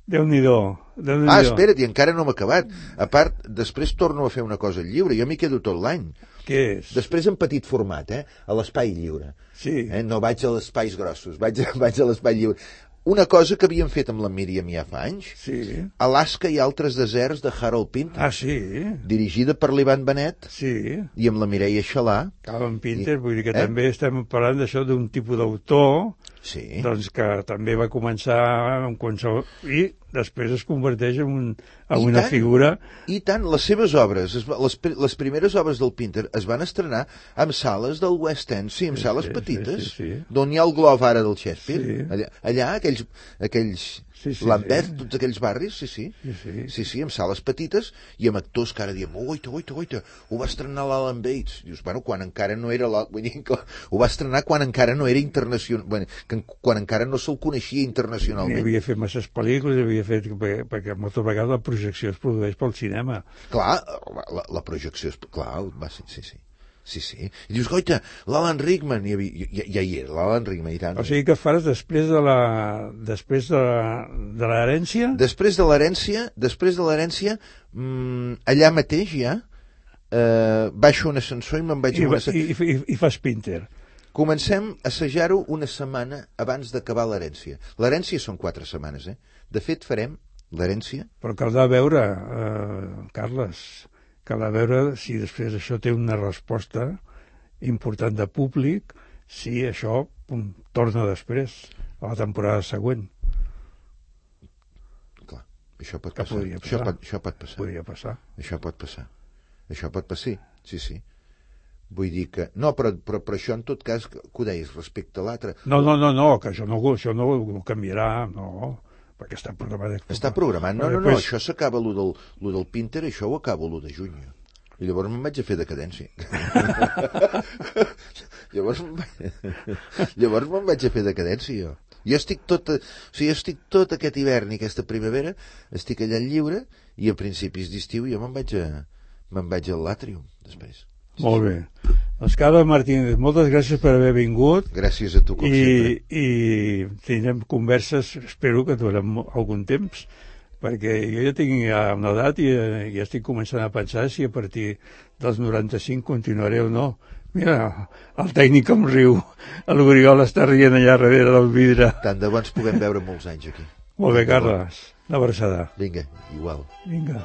Déu-n'hi-do. Espera't, i encara no m'ha acabat. A part, després torno a fer una cosa lliure, jo m'hi quedo tot l'any. Què és? Després en petit format, a l'espai lliure. Sí. No vaig a els espais grossos, vaig a l'espai lliure. Una cosa que havíem fet amb la Míriam ja fa anys, sí. Alaska i altres deserts, de Harold Pinter. Ah, sí? Dirigida per l'Ivan Benet, sí. I amb la Mireia Xalà. Harold Pinter, vull dir que també estem parlant d'això d'un tipus d'autor, sí. Doncs que també va començar amb qualsevol... I després es converteix en una figura... I tant, les seves obres, les primeres obres del Pinter es van estrenar en sales del West End, sí, en sales petites, d'on hi ha el Globe ara del Shakespeare. Sí. Allà, aquells Lambeth, tots aquells barris, sí, amb sales petites, i amb actors que ara diem, oita, ho va estrenar l'Alan Bates. Dius, quan encara no era... Vull dir que ho va estrenar quan encara no era internacional, quan encara no se'l coneixia internacionalment. Havia fet masses pel·lícules, perquè moltes vegades la projecció es produeix pel cinema. Clar, la projecció és... Clar, sí. I dius, goita, l'Alan Rickman, ja hi era, l'Alan Rickman, i tant. O sigui que faràs després de l'herència? Després de l'herència, allà mateix ja, baixo un ascensor i me'n vaig a un ascensor. I fas Pinter. Comencem a assajar-ho una setmana abans d'acabar l'herència. L'herència són 4 setmanes, De fet, farem l'herència. Però caldrà veure, Carles, si després això té una resposta important de públic, si això torna després, a la temporada següent. Clar, això pot passar. Això pot passar. Podria passar. Això pot passar, sí. Vull dir que... No, però això en tot cas, que ho deies respecte a l'altre... No, que això no ho canviarà, no, perquè està programat. Està programat, no, això s'acaba lo del Pinter, això ho acabo lo de juny. I llavors me'n vaig a fer decadència. Llavors me'n vaig a fer decadència, jo. Jo estic tot aquest hivern i aquesta primavera, estic allà en lliure, i a principis d'estiu jo me'n vaig al l'Àtrium, després. Molt bé. Doncs Carles Martínez, moltes gràcies per haver vingut. Gràcies a tu, com sempre. I tindrem converses, espero que durem algun temps, perquè jo ja tinc una edat i ja estic començant a pensar si a partir dels 95 continuaré o no. Mira, el tècnic em riu, l'Oriol està rient allà darrere del vidre. Tant de bo ens puguem veure molts anys aquí. Molt bé, Carles, una abraçada. Vinga, igual. Vinga.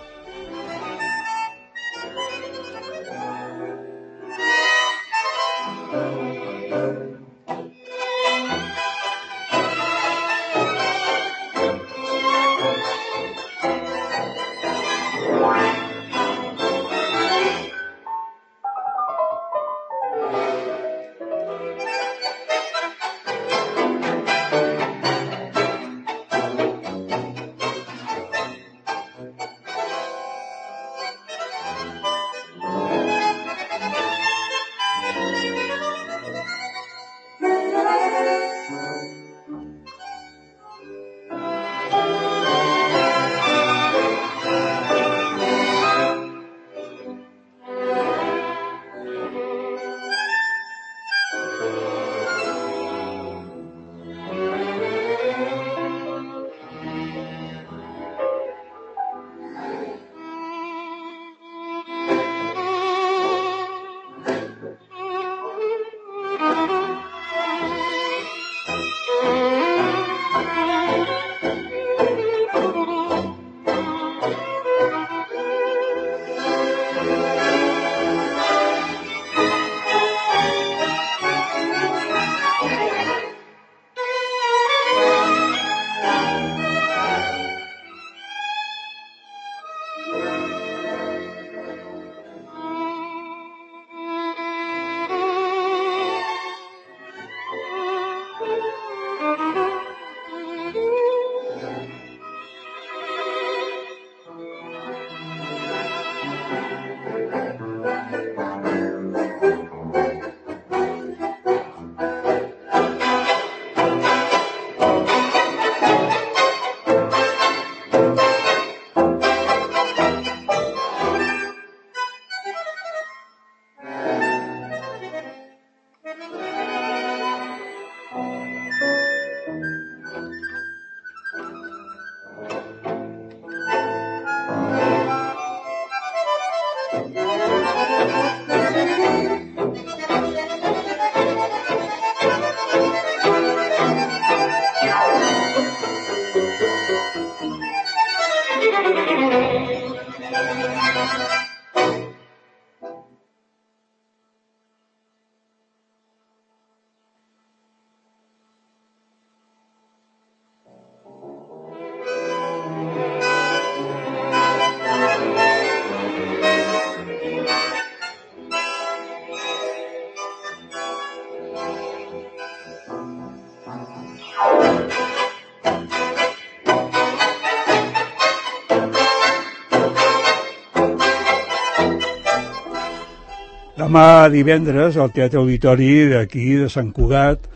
Demà divendres al Teatre Auditori d'aquí de Sant Cugat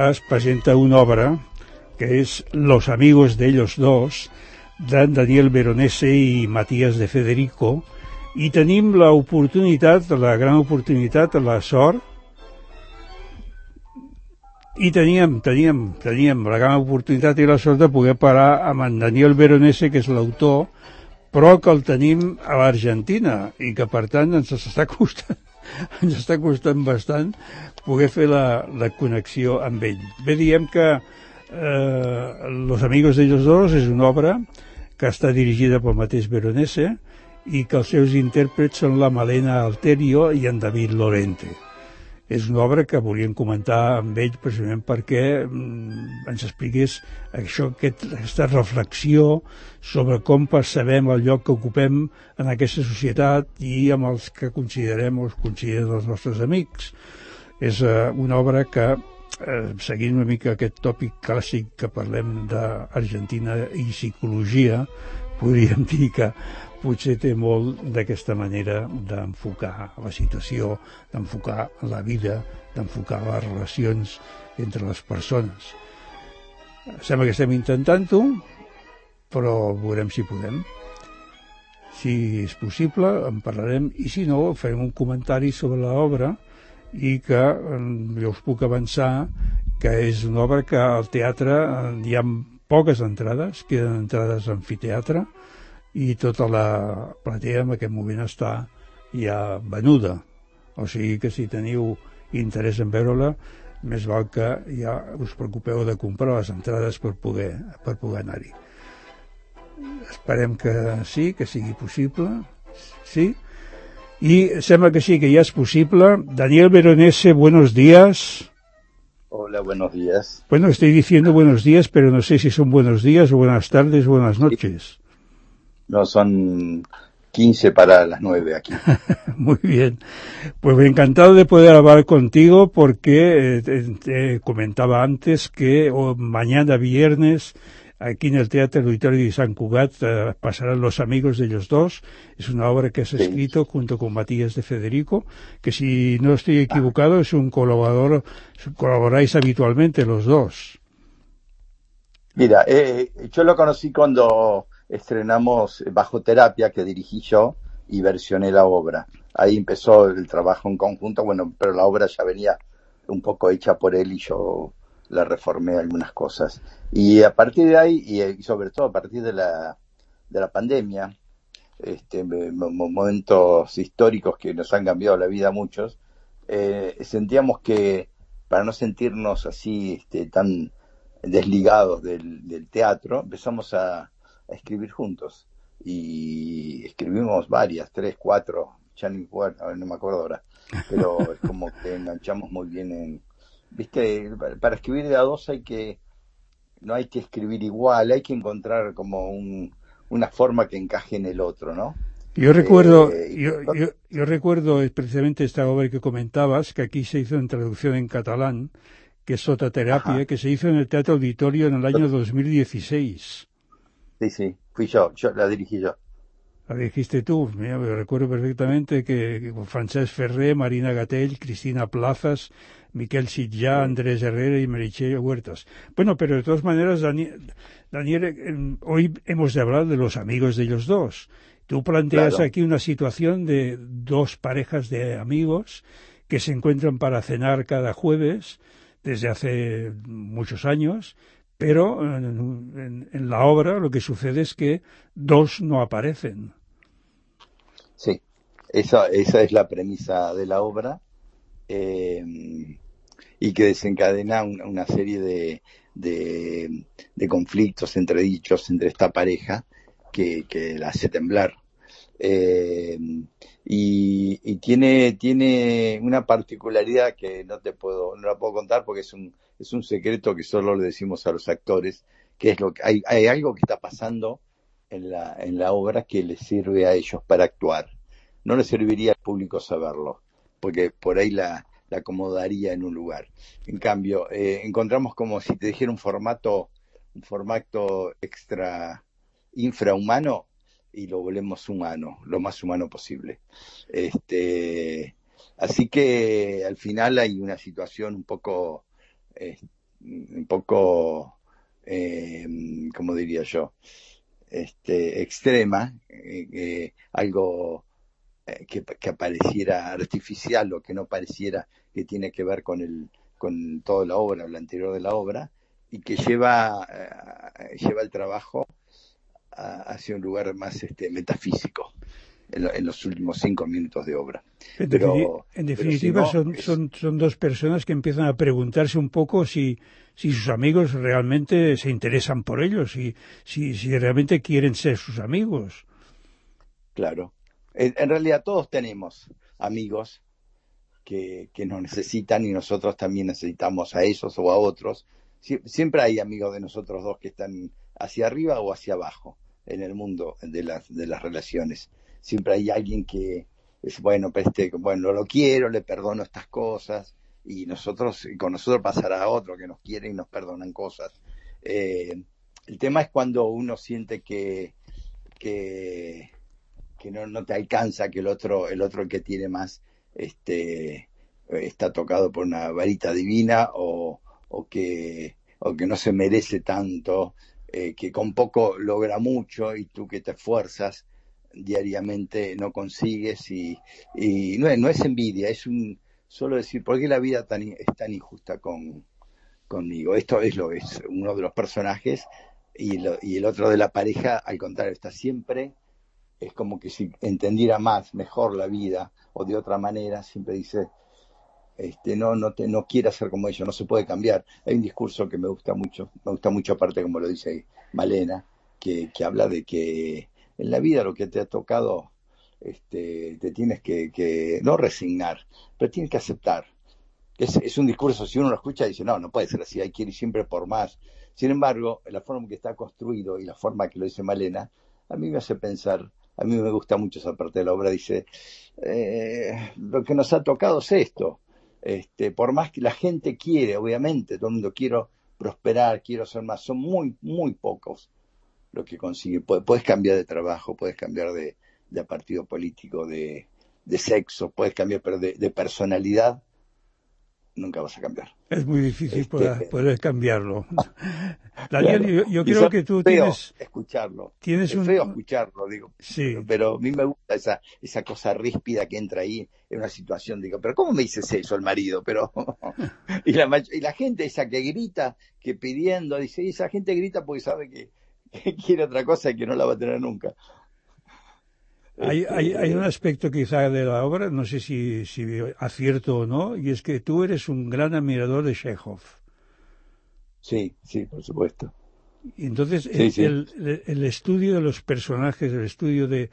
es presenta una obra que és Los amigos de ellos dos, de Daniel Veronese i Matías de Federico, i tenim l'oportunitat, la gran oportunitat, la sort, i teníem la gran oportunitat i la sort de poder parar amb en Daniel Veronese, que és l'autor, però que el tenim a l'Argentina i que per tant ens està costant bastant poder fer la connexió amb ell. Bé, diem que Los amigos de ellos dos és una obra que està dirigida pel mateix Veronese i que els seus intèrprets són la Malena Alterio i en David Lorente. És una obra que volíem comentar amb ell precisament perquè ens expliqués aquesta reflexió sobre com percebem el lloc que ocupem en aquesta societat i amb els que considerem o els consideren els nostres amics. És una obra que, seguint una mica aquest tòpic clàssic que parlem d'Argentina i psicologia, podríem dir que potser té molt d'aquesta manera d'enfocar la situació, d'enfocar la vida, d'enfocar les relacions entre les persones. Sembla que estem intentant-ho, però veurem si podem. Si és possible, en parlarem, i si no, farem un comentari sobre l'obra i que jo us puc avançar que és una obra que al teatre hi ha poques entrades, queden entrades a amfiteatre, i tota la platea en aquest moment està ja venuda. O sigui que si teniu interès en veure-la, més val que ja us preocupeu de comprar les entrades per poder anar-hi. Esperem que sí, que sigui possible. Sí? Y sembla que sí, que ya es posible. Daniel Veronese, buenos días. Hola, buenos días. Bueno, estoy diciendo buenos días, pero no sé si son buenos días o buenas tardes o buenas noches. No, son 15 para las 9 aquí. Muy bien. Pues encantado de poder hablar contigo porque te comentaba antes que mañana viernes aquí en el Teatre Auditorio de Sant Cugat pasarán Los amigos de ellos dos. Es una obra que has escrito junto con Matías de Federico, que si no estoy equivocado es un colaborador, colaboráis habitualmente los dos. Mira, yo lo conocí cuando estrenamos Bajo Terapia, que dirigí yo, y versioné la obra. Ahí empezó el trabajo en conjunto, bueno, pero la obra ya venía un poco hecha por él y yo la reformé algunas cosas. Y a partir de ahí, y sobre todo a partir de la pandemia, momentos históricos que nos han cambiado la vida a muchos, sentíamos que para no sentirnos así tan desligados del teatro, empezamos a escribir juntos. Y escribimos varias, 3, 4, ya no me acuerdo ahora, pero es como que enganchamos muy bien ¿viste? Para escribir de a dos no hay que escribir igual, hay que encontrar como una forma que encaje en el otro, ¿no? Yo recuerdo precisamente esta obra que comentabas, que aquí se hizo en traducción en catalán, que es Sota Terapia, que se hizo en el Teatro Auditorio en el año 2016. Sí, fui yo la dirigí yo. La dijiste tú, mira, recuerdo perfectamente que Francesc Ferrer, Marina Gatell, Cristina Plazas, Miquel Sitjà, Andrés Herrera y Meritxell Huertas. Bueno, pero de todas maneras, Daniel, hoy hemos de hablar de los amigos de ellos dos. Tú planteas aquí una situación de dos parejas de amigos que se encuentran para cenar cada jueves desde hace muchos años, pero en la obra lo que sucede es que dos no aparecen. Sí, esa es la premisa de la obra, y que desencadena una serie de conflictos, entredichos entre esta pareja que la hace temblar. Y tiene una particularidad que no la puedo contar porque es un secreto que solo le decimos a los actores, que es hay algo que está pasando en la obra que les sirve a ellos para actuar. No les serviría al público saberlo, porque por ahí la acomodaría en un lugar. En cambio, encontramos como si te dijera un formato infrahumano, y lo volvemos humano, lo más humano posible. Así que al final hay una situación eh, un poco, ¿cómo diría yo? Extrema, algo que pareciera artificial o que no pareciera que tiene que ver con toda la obra, lo anterior de la obra, y que lleva el trabajo hacia un lugar más metafísico en los últimos 5 minutos de obra. En Pero si definitiva, no, son dos personas que empiezan a preguntarse un poco si sus amigos realmente se interesan por ellos, si realmente quieren ser sus amigos. claro. En realidad todos tenemos amigos que nos necesitan y nosotros también necesitamos a esos o a otros. Siempre hay amigos de nosotros dos que están hacia arriba o hacia abajo en el mundo de las relaciones. Siempre hay alguien que es, bueno, bueno, lo quiero, le perdono estas cosas, y con nosotros pasará a otro que nos quiere y nos perdonan cosas. El tema es cuando uno siente que no te alcanza, que el otro el que tiene más, está tocado por una varita divina, o que no se merece tanto, que con poco logra mucho y tú que te esfuerzas diariamente no consigues, y no es envidia, solo decir, ¿por qué la vida es tan injusta conmigo? Esto es uno de los personajes, y el otro de la pareja, al contrario, está siempre, es como que si entendiera mejor la vida, o de otra manera, siempre dice, no quiere ser como ellos, no se puede cambiar. Hay un discurso que me gusta mucho aparte, como lo dice Malena, que habla de que en la vida lo que te ha tocado, te tienes que no resignar, pero tienes que aceptar. Es un discurso, si uno lo escucha, dice, no puede ser así, hay que ir siempre por más. Sin embargo, la forma en que está construido y la forma que lo dice Malena, a mí me hace pensar, a mí me gusta mucho esa parte de la obra. Dice, lo que nos ha tocado es esto. Por más que la gente quiere, obviamente, todo el mundo quiero prosperar, quiero ser más, son muy, muy pocos lo que consigue. Puedes cambiar de trabajo, puedes cambiar de partido político, de sexo, puedes cambiar, pero de personalidad nunca vas a cambiar. Es muy difícil poder cambiarlo. Daniel, Claro. yo Y creo que tú feo escucharlo. tienes Es feo escucharlo, digo. Sí. Pero a mí me gusta esa cosa ríspida que entra ahí en una situación. Digo, pero ¿cómo me dices eso el marido? Pero y la gente esa que grita, que pidiendo, dice, y esa gente grita porque sabe que quiere otra cosa y que no la va a tener nunca. Hay un aspecto quizá de la obra, no sé si acierto o no, y es que tú eres un gran admirador de Chekhov. Sí, por supuesto. Y entonces Sí. el estudio de los personajes, el estudio de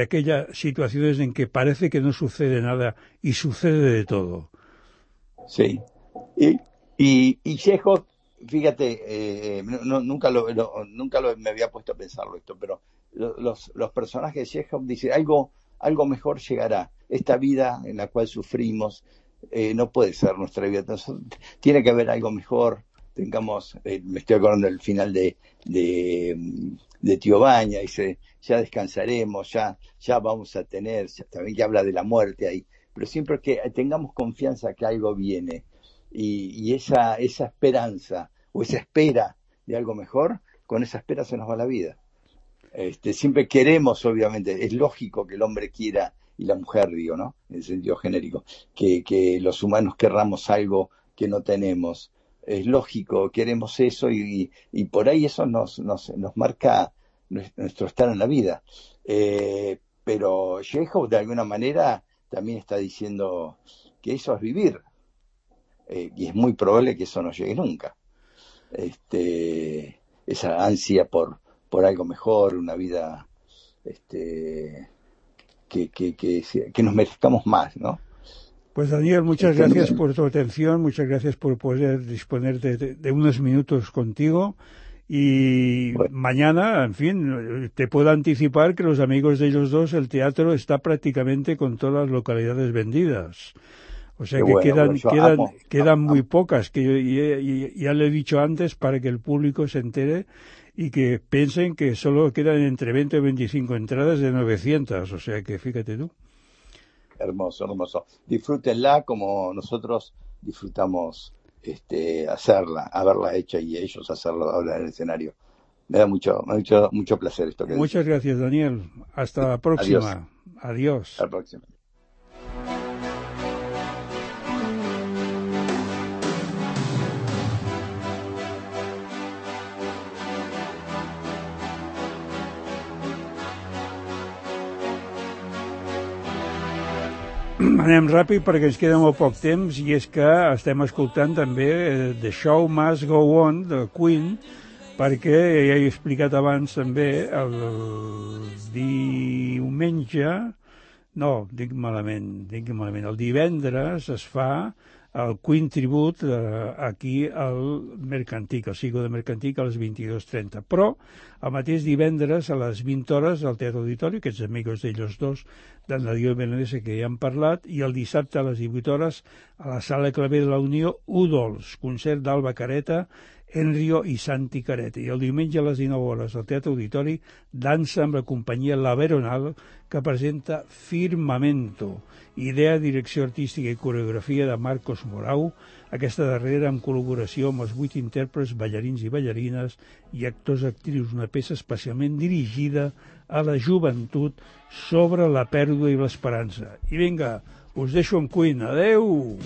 aquellas situaciones en que parece que no sucede nada y sucede de todo. Sí. Y Chekhov, fíjate, nunca me había puesto a pensarlo esto, pero los personajes de Chekhov dicen, algo mejor llegará. Esta vida en la cual sufrimos no puede ser nuestra vida. Entonces, tiene que haber algo mejor. Me estoy acordando del final de Tío Baña, dice, ya descansaremos, ya vamos a tener, también que habla de la muerte ahí, pero siempre que tengamos confianza que algo viene, y esa esperanza o esa espera de algo mejor, con esa espera se nos va la vida. Siempre queremos, obviamente, es lógico que el hombre quiera, y la mujer, digo, ¿no? En el sentido genérico, que los humanos querramos algo que no tenemos. Es lógico, queremos eso, y por ahí eso nos marca nuestro estar en la vida. Pero Chekhov, de alguna manera, también está diciendo que eso es vivir. Y es muy probable que eso no llegue nunca. Esa ansia por algo mejor, una vida que nos merezcamos más, ¿no? Pues Daniel, muchas gracias por tu atención, muchas gracias por poder disponer de unos minutos contigo, y bueno, mañana, en fin, te puedo anticipar que los amigos de ellos dos, el teatro está prácticamente con todas las localidades vendidas. O sea que bueno, quedan muy pocas, que ya le he dicho antes, para que el público se entere y que piensen que solo quedan entre 20 y 25 entradas de 900, o sea que fíjate tú. hermoso, hermoso. Disfrútenla como nosotros disfrutamos haberla hecha y ellos hacerlo ahora en el escenario. Me da mucho placer esto que Muchas gracias, Daniel. Hasta la próxima. Adiós. Hasta la próxima. Anem ràpid perquè ens queda molt poc temps, i és que estem escoltant també The Show Must Go On de Queen, perquè ja he explicat abans també el diumenge, no, dic malament, el divendres es fa el Queen Tribute aquí al Mercantic, al Sigo de Mercantic a les 22:30, però el mateix divendres a les 20 hores al Teatre Auditori, aquests amigos d'ells dos, d'en Darío Benedese, que ja han parlat, i el dissabte a les 18 hores a la Sala Claver de la Unió, U-Dolls, concert d'Alba Careta, Enrio i Santi Careta. I el diumenge a les 19 hores al Teatre Auditori, dansa amb la companyia La Veronal, que presenta Firmamento, idea, direcció artística i coreografia de Marcos Morau, aquesta darrera amb col·laboració amb els 8 intèrprets, ballarins i ballarines i actors actrius, una peça especialment dirigida a la joventut sobre la pèrdua i l'esperança. I vinga, us deixo amb Queen. Adeu!